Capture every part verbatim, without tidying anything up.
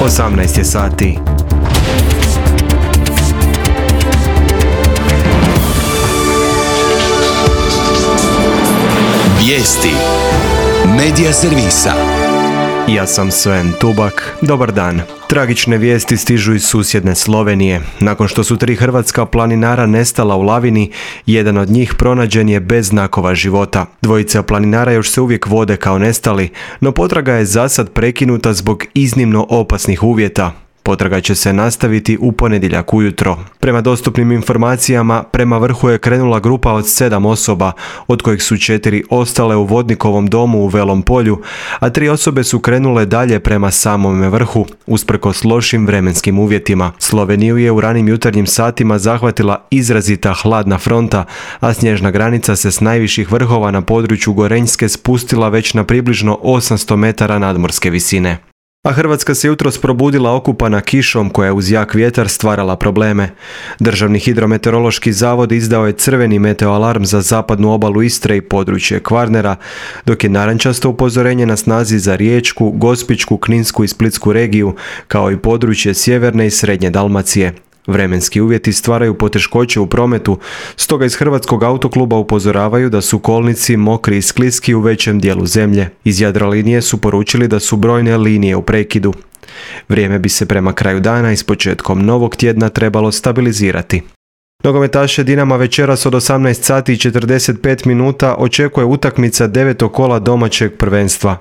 osamnaest je sati. Vijesti Medija servisa. Ja sam Sven Tubak. Dobar dan. Tragične vijesti stižu iz susjedne Slovenije. Nakon što su tri hrvatska planinara nestala u lavini, jedan od njih pronađen je bez znakova života. Dvojica planinara još se uvijek vode kao nestali, no potraga je zasad prekinuta zbog iznimno opasnih uvjeta. Potraga će se nastaviti u ponedjeljak ujutro. Prema dostupnim informacijama, prema vrhu je krenula grupa od sedam osoba, od kojih su četiri ostale u vodnikovom domu u Velom Polju, a tri osobe su krenule dalje prema samome vrhu, usprkos lošim vremenskim uvjetima. Sloveniju je u ranim jutarnjim satima zahvatila izrazita hladna fronta, a snježna granica se s najviših vrhova na području Gorenjske spustila već na približno osamsto metara nadmorske visine. A Hrvatska se jutros probudila okupana kišom koja je uz jak vjetar stvarala probleme. Državni hidrometeorološki zavod izdao je crveni meteoalarm za zapadnu obalu Istre i područje Kvarnera, dok je narančasto upozorenje na snazi za Riječku, Gospićku, Kninsku i Splitsku regiju, kao i područje sjeverne i srednje Dalmacije. Vremenski uvjeti stvaraju poteškoće u prometu, stoga iz Hrvatskog autokluba upozoravaju da su kolnici mokri i skliski u većem dijelu zemlje. Iz Jadrolinije su poručili da su brojne linije u prekidu. Vrijeme bi se prema kraju dana i s početkom novog tjedna trebalo stabilizirati. Nogometaše Dinama večeras od osamnaest sati i četrdeset pet minuta očekuje utakmica devetog kola domaćeg prvenstva.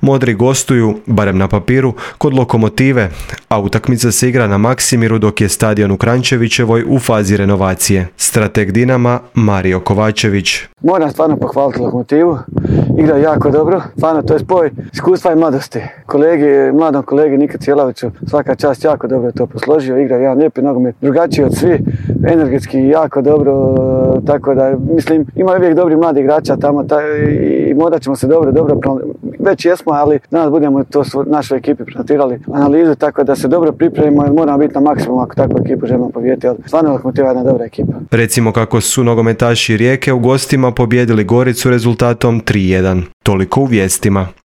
Modri gostuju, barem na papiru, kod Lokomotive, a utakmica se igra na Maksimiru dok je stadion u Kranjčevićevoj u fazi renovacije. Strateg Dinama Mario Kovačević. Moram stvarno pohvaliti Lokomotivu, igra jako dobro, stvarno to je spoj iskustva i mladosti. Kolegi, mladom kolegi Nika Cjelaviću svaka čast, jako dobro je to posložio, igra jedan lijepi nogomet, drugačiji od svi, energetski jako dobro, tako da mislim ima uvijek dobri mladi igrača tamo taj, i morat ćemo se dobro, dobro, već jesmo, ali danas budemo to našoj ekipi prezentirali analizu, tako da se dobro pripremimo jer moramo biti na maksimum ako takvu ekipu želimo pobijediti, ali stvarno Lokomotiva je jedna dobra ekipa. Recimo kako su nogometaši Rijeke u gostima pobijedili Goricu rezultatom tri jedan. Toliko u vijestima.